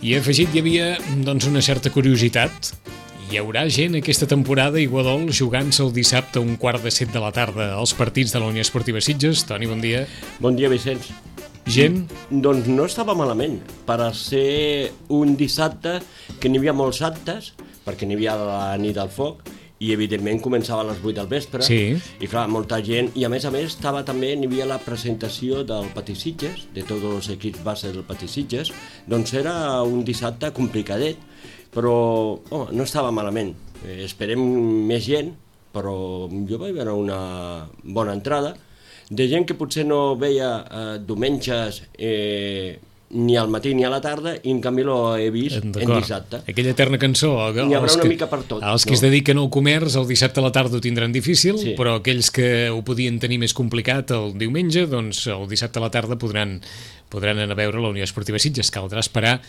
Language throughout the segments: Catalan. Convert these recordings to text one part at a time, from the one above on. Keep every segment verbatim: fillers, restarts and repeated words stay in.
I afegit hi havia doncs, una certa curiositat. Hi haurà gent aquesta temporada a Iguadol jugant-se el dissabte a un quart de set de la tarda als partits de la Unió Esportiva Sitges. Toni, bon dia. Bon dia, Vicenç. Gent? Doncs no estava malament. Per a ser un dissabte que n'hi havia molts actes, perquè n'hi havia la nit del foc, i evidentment començava a les vuit del vespre, sí. I clar, molta gent, i a més a més estava també, n'hi havia la presentació del Patí Sitges, de tots els equips base del Patí Sitges, doncs era un dissabte complicadet, però oh, no estava malament. Eh, esperem més gent, però jo vaig veure una bona entrada, de gent que potser no veia eh, diumenges eh, ni al matí ni a la tarda, i en canvi l'ho he vist en dissabte. Aquella eterna cançó. N'hi haurà una que, mica per tot. Els que no? es dediquen al comerç el dissabte a la tarda ho tindran difícil, sí. Però aquells que ho podien tenir més complicat el diumenge, doncs el dissabte a la tarda podran, podran anar a veure la Unió Esportiva Sitges. Caldrà esperar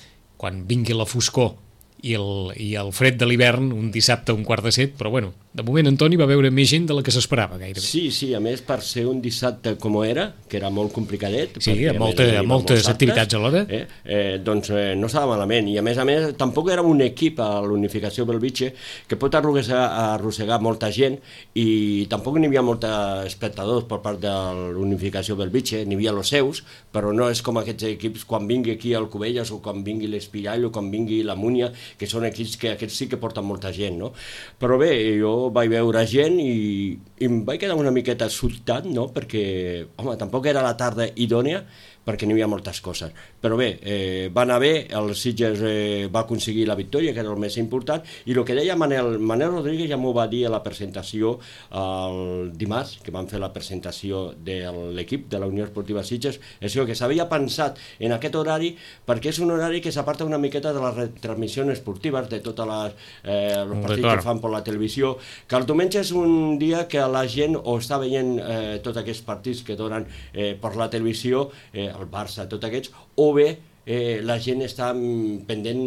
quan vingui la foscor i el, i el fred de l'hivern, un dissabte a un quart de set, però bueno, de moment Antoni va veure més gent de la que s'esperava gairebé. Sí, sí, a més per ser un dissabte com era, que era molt complicadet, sí, amb molta, moltes activitats alhora, eh, eh, doncs eh, no estava malament, i a més a més tampoc era un equip a l'Unificació Bellvitge que pot arrossegar, arrossegar molta gent, i tampoc n'hi havia molts espectadors per part de l'Unificació Bellvitge, n'hi havia els seus, però no és com aquests equips quan vingui aquí al Cubelles o quan vingui l'Espirall o quan vingui la Múnia, que són equips que aquests sí que porten molta gent, no? Però bé, jo vaig veure gent i, i em vaig quedar una miqueta sobtat, no? Perquè, home, tampoc era la tarda idònia, perquè n'hi havia moltes coses. Però bé, eh, va anar bé, el Sitges eh, va aconseguir la victòria, que era el més important, i el que deia Manel, Manel Rodríguez ja m'ho va dir a la presentació el dimarts, que van fer la presentació de l'equip de la Unió Esportiva Sitges, és que s'havia pensat en aquest horari, perquè és un horari que s'aparta una miqueta de les retransmissions esportives, de tots els eh, partits que fan per la televisió, que el diumenge és un dia que la gent o està veient eh, tots aquests partits que donen eh, per la televisió, eh, el Barça, tots aquests, o bé eh, la gent està pendent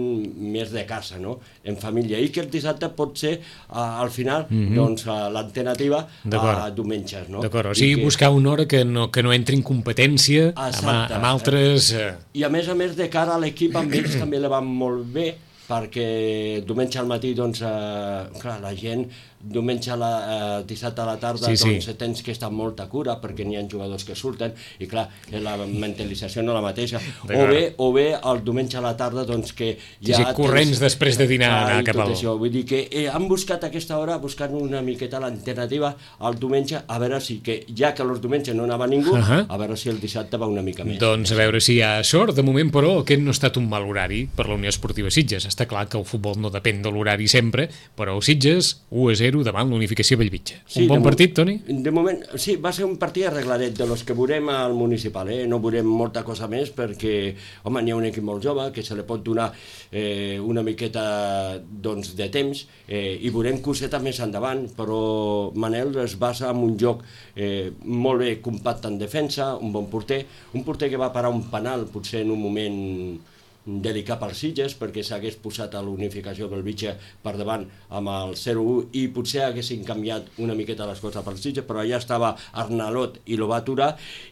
més de casa, no? En família, i que el dissabte pot ser eh, al final mm-hmm. doncs, l'alternativa a diumenges, no? D'acord, o sigui, que... buscar una hora que no, que no entri en competència amb, amb altres... Eh... I a més a més de cara a l'equip, amb ells també le van molt bé, perquè diumenge al matí, doncs, eh, clar, la gent diumenge a la, eh, dissabte a la tarda, sí, doncs sí. Tens que estar amb molta cura perquè n'hi ha jugadors que surten i clar, la mentalització no la mateixa, o bé, o bé el diumenge a la tarda doncs que ja... Sí, corrents tens... després de dinar ah, cap al... Això. Vull dir que eh, han buscat aquesta hora buscant una miqueta l'alternativa al diumenge, a veure si que ja que els diumenges no anava ningú, uh-huh. a veure si el dissabte va una mica més. Doncs a veure si hi ha sort. De moment, però, aquest no ha estat un mal horari per la Unió Esportiva Sitges. Està clar que el futbol no depèn de l'horari sempre, però el Sitges u a zero davant l'Unificació Bellvitge. Un sí, bon partit, Toni? De moment, sí, va ser un partit arregladet de los que veurem al municipal, eh? No veurem molta cosa més perquè, home, n'hi ha un equip molt jove que se li pot donar eh, una miqueta doncs, de temps eh, i veurem coseta més endavant, però Manel es basa en un joc eh, molt bé compacte en defensa, un bon porter, un porter que va parar un penal potser en un moment delicat pels Sitges perquè s'hagués posat a l'Unificació Bellvitge per davant amb el zero u i potser haguessin canviat una miqueta les coses pels Sitges, però allà estava Arnalot i lo va aturar,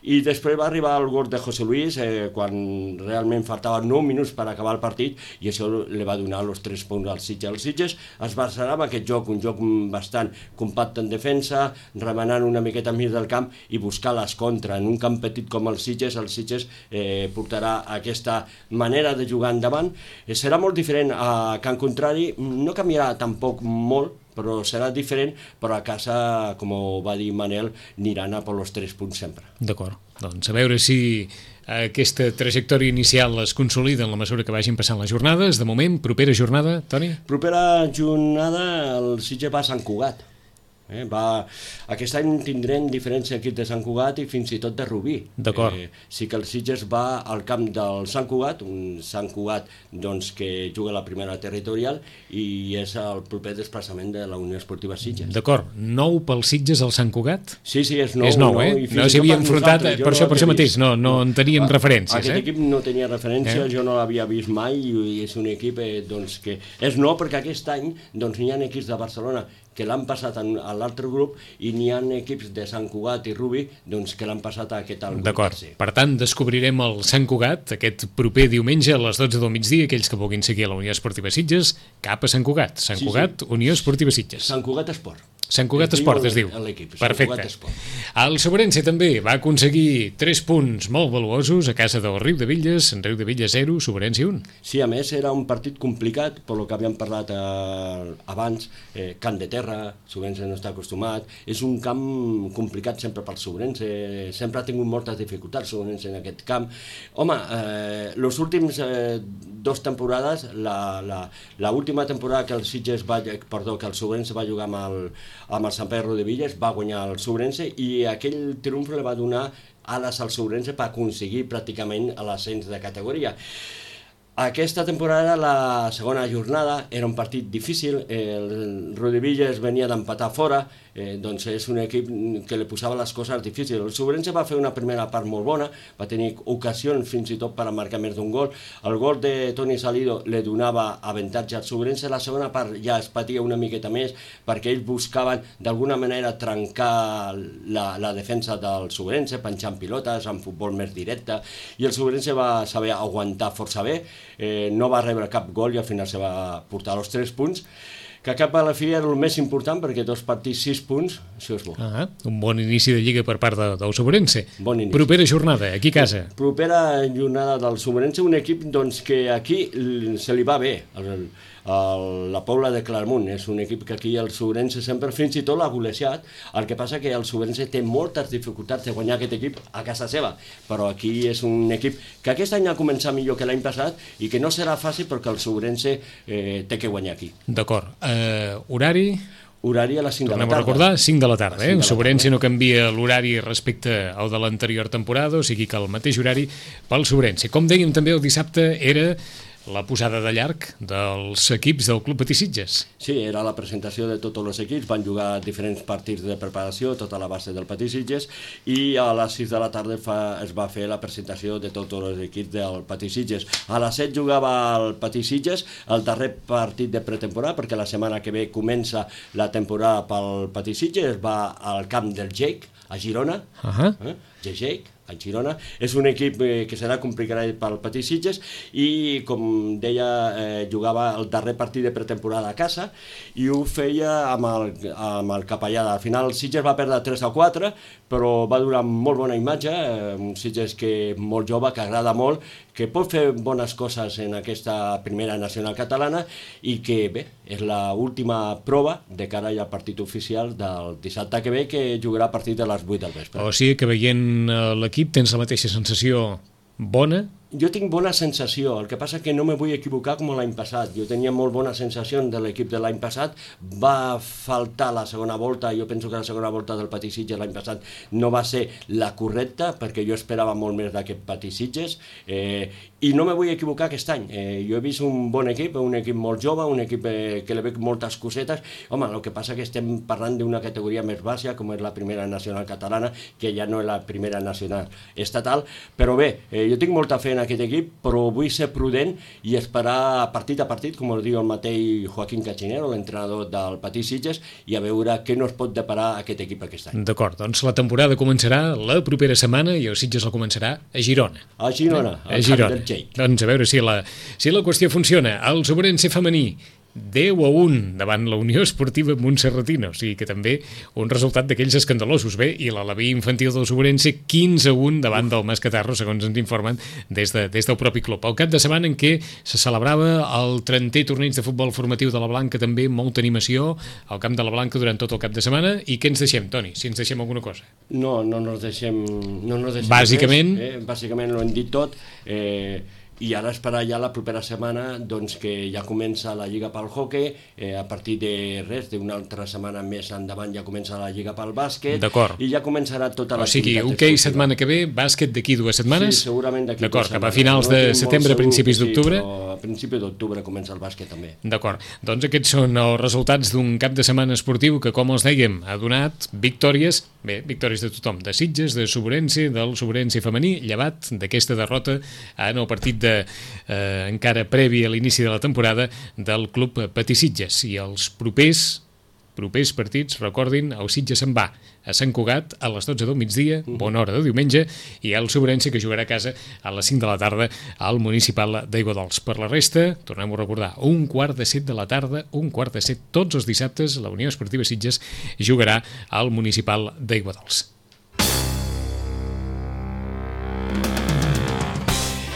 i després va arribar el gol de José Luis eh, quan realment faltaven nou minuts per acabar el partit i això li va donar els tres punts als Sitges. Els Sitges es basarà en aquest joc, un joc bastant compacte en defensa, remenant una miqueta enmig del camp i buscar les contra. En un camp petit com el Sitges, el Sitges eh, portarà aquesta manera de jugar endavant. Eh, serà molt diferent a Can Contrari, no canviarà tampoc molt, però serà diferent, però a casa, com va dir Manel, aniran a per els tres punts sempre. D'acord, doncs a veure si aquesta trajectòria inicial es consolida en la mesura que vagin passant les jornades. De moment, propera jornada, Toni? Propera jornada, el Sitges va a Sant Cugat. Eh, va... Aquest any tindrem diferents equips de Sant Cugat i fins i tot de Rubí. D'acord. Eh, sí que el Sitges va al camp del Sant Cugat, un Sant Cugat doncs, que juga a la primera territorial i és el proper desplaçament de la Unió Esportiva Sitges. D'acord. Nou pel Sitges al Sant Cugat? Sí, sí, és nou. És nou, eh? No s'hi havia enfrontat, per això, per això mateix, no, no en teníem ah, referències. Aquest eh? equip no tenia referència, eh? Jo no l'havia vist mai i és un equip eh, doncs, que és nou perquè aquest any doncs, hi ha equips de Barcelona que l'han passat a l'altre grup i n'hi ha equips de Sant Cugat i Rubi doncs, que l'han passat a aquest al grup. D'acord, per tant descobrirem el Sant Cugat aquest proper diumenge a les dotze del migdia, aquells que vulguin seguir a la Unió Esportiva Sitges cap a Sant Cugat, Sant sí, Cugat, sí. Unió Esportiva Sitges. Sant Cugat Esport. Sant Cugat Esport es diu. Perfecte. El Sobrense també va aconseguir tres punts molt valuosos a casa del Riu de Villes, en Riu de Villes zero, Sobrense un. Sí, a més era un partit complicat, per lo que havíem parlat eh, abans, eh, camp de terra, Sobrense no està acostumat, és un camp complicat sempre pel Sobrense, sempre ha tingut moltes dificultats Sobrense en aquest camp. Home, eh, los últims eh, dos temporades, la, la, la última temporada que el Sitges va, perdó, que el Sobrense va jugar amb el amb el Sant Pere de Villes, va guanyar el Sobrense i aquell triomf li va donar ales al Sobrense per aconseguir pràcticament l'ascens de categoria. Aquesta temporada, la segona jornada, era un partit difícil, el Rodevilles venia d'empatar fora, eh, doncs és un equip que li posava les coses difícils. El Sobrense va fer una primera part molt bona, va tenir ocasions fins i tot per a marcar més d'un gol. El gol de Toni Salido li donava avantatge al Sobrense, la segona part ja es patia una miqueta més perquè ells buscaven d'alguna manera trencar la, la defensa del Sobrense, penjant pilotes, amb futbol més directe, i el Sobrense va saber aguantar força bé. Eh, no va rebre cap gol i al final se va portar els tres punts, que cap a la fi era el més important perquè dos partits, sis punts, això és bo. Ah, un bon inici de Lliga per part de, del Sobrense. Bon inici. Propera jornada, aquí a casa. Propera jornada del Sobrense, un equip doncs, que aquí se li va bé. El, el, la Pobla de Clermont és un equip que aquí el Sobrense sempre fins i tot l'ha golejat, el que passa que el Sobrense té moltes dificultats de guanyar aquest equip a casa seva, però aquí és un equip que aquest any ha començat millor que l'any passat i que no serà fàcil perquè el Sobrense eh, té que guanyar aquí. D'acord. Uh, horari? Horari a les cinc de la tarda. Tornem a recordar, cinc de la tarda. Eh? El Sobrense no canvia l'horari respecte al de l'anterior temporada, o sigui que el mateix horari pel Sobrense. Com dèiem també el dissabte era la posada de llarg dels equips del Club Patí Sitges. Sí, era la presentació de tots els equips, van jugar diferents partits de preparació, tota la base del Patí Sitges, i a les sis de la tarda fa, es va fer la presentació de tots els equips del Patí Sitges. A les set jugava el Patí Sitges, el darrer partit de pretemporada, perquè la setmana que ve comença la temporada pel Patí Sitges, es va al camp del Jake, a Girona, uh-huh. eh? Jake, a Girona. És un equip eh, que serà complicat pel Patí Sitges i, com deia, eh, jugava el darrer partit de pretemporada a casa i ho feia amb el, amb el Capellada. Al final el Sitges va perdre tres a quatre, però va donar molt bona imatge, eh, un Sitges que molt jove, que agrada molt, que pot fer bones coses en aquesta primera nacional catalana i que, bé, és l'última prova de cara al partit oficial del dissabte que ve, que jugarà a partir de les vuit del vespre. O sigui que veient l'equip tens la mateixa sensació bona? Jo tinc bona sensació, el que passa que no me vull equivocar com l'any passat. Jo tenia molt bona sensació de l'equip de l'any passat, va faltar la segona volta, jo penso que la segona volta del Patí Sitges l'any passat no va ser la correcta, perquè jo esperava molt més d'aquest Patí Sitges, eh, i no me vull equivocar aquest any. Eh, jo he vist un bon equip, un equip molt jove, un equip eh, que li veig moltes cosetes. Home, el que passa que estem parlant d'una categoria més baixa, com és la primera nacional catalana, que ja no és la primera nacional estatal, però bé, eh, jo tinc molta fe en aquest equip, però vull ser prudent i esperar partit a partit, com el diu el mateix Joaquín Cachinero, l'entrenador del Patí Sitges, i a veure què no es pot deparar aquest equip aquest any. D'acord, doncs la temporada començarà la propera setmana i el Sitges la començarà a Girona. A Girona, eh? a Girona. Doncs a veure si la, si la qüestió funciona. El Sobrense femení deu a un davant la Unió Esportiva Montserratina, o sigui que també un resultat d'aquells escandalosos. Bé, i l'Alaví infantil del Sobrense quinze a un davant del Mascatarro, segons ens informen des, de, des del propi club. El cap de setmana en què se celebrava el trentè torneig de futbol formatiu de la Blanca, també molta animació al camp de la Blanca durant tot el cap de setmana. I què ens deixem, Toni, si ens deixem alguna cosa? No, no ens deixem, no ens deixem bàsicament, res, eh? Bàsicament ho hem dit tot. eh, i ara esperar ja la propera setmana doncs, que ja comença la Lliga pel hoquei, eh, a partir de res, d'una altra setmana més endavant ja comença la Lliga pel bàsquet, i ja començarà tota l'activitat. O sigui, hoquei setmana que ve, bàsquet d'aquí dues setmanes? Sí, segurament d'aquí dues setmanes. D'acord, cap a finals de no setembre, principis d'octubre? Sí, però a principi d'octubre comença el bàsquet també. D'acord, doncs aquests són els resultats d'un cap de setmana esportiu que, com els dèiem, ha donat victòries, bé, victòries de tothom, de Sitges, de Sobrense, del Sobrense femení, llevat d'aquesta derrota en el partit de Eh, encara previ a l'inici de la temporada del Club Patí Sitges. I els propers propers partits, recordin, el Sitges se'n va a Sant Cugat a les dotze del migdia, bona hora de diumenge, i el Sobrense, que jugarà a casa a les cinc de la tarda al Municipal d'Aiguadols. Per la resta, tornem a recordar, un quart de set de la tarda, un quart de set tots els dissabtes, la Unió Esportiva Sitges jugarà al Municipal d'Aiguadols.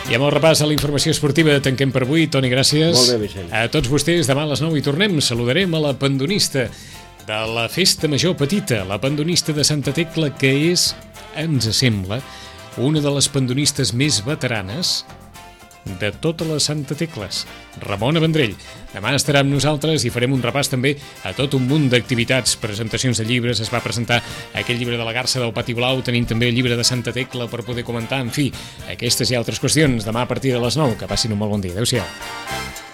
I amb el repàs a la informació esportiva tanquem per avui. Toni, gràcies. Molt bé, Vicent. A tots vostès, demà a les nou hi tornem. Saludarem a la pandonista de la Festa Major Petita, la pandonista de Santa Tecla, que és, ens sembla, una de les pandonistes més veteranes de totes les Santa Tecles, Ramona Vendrell. Demà estarà amb nosaltres i farem un repàs també a tot un munt d'activitats, presentacions de llibres. Es va presentar aquell llibre de la Garça del Pati Blau, tenim també el llibre de Santa Tecla per poder comentar, en fi, aquestes i altres qüestions demà a partir de les nou. Que passin un molt bon dia. Adéu-siau.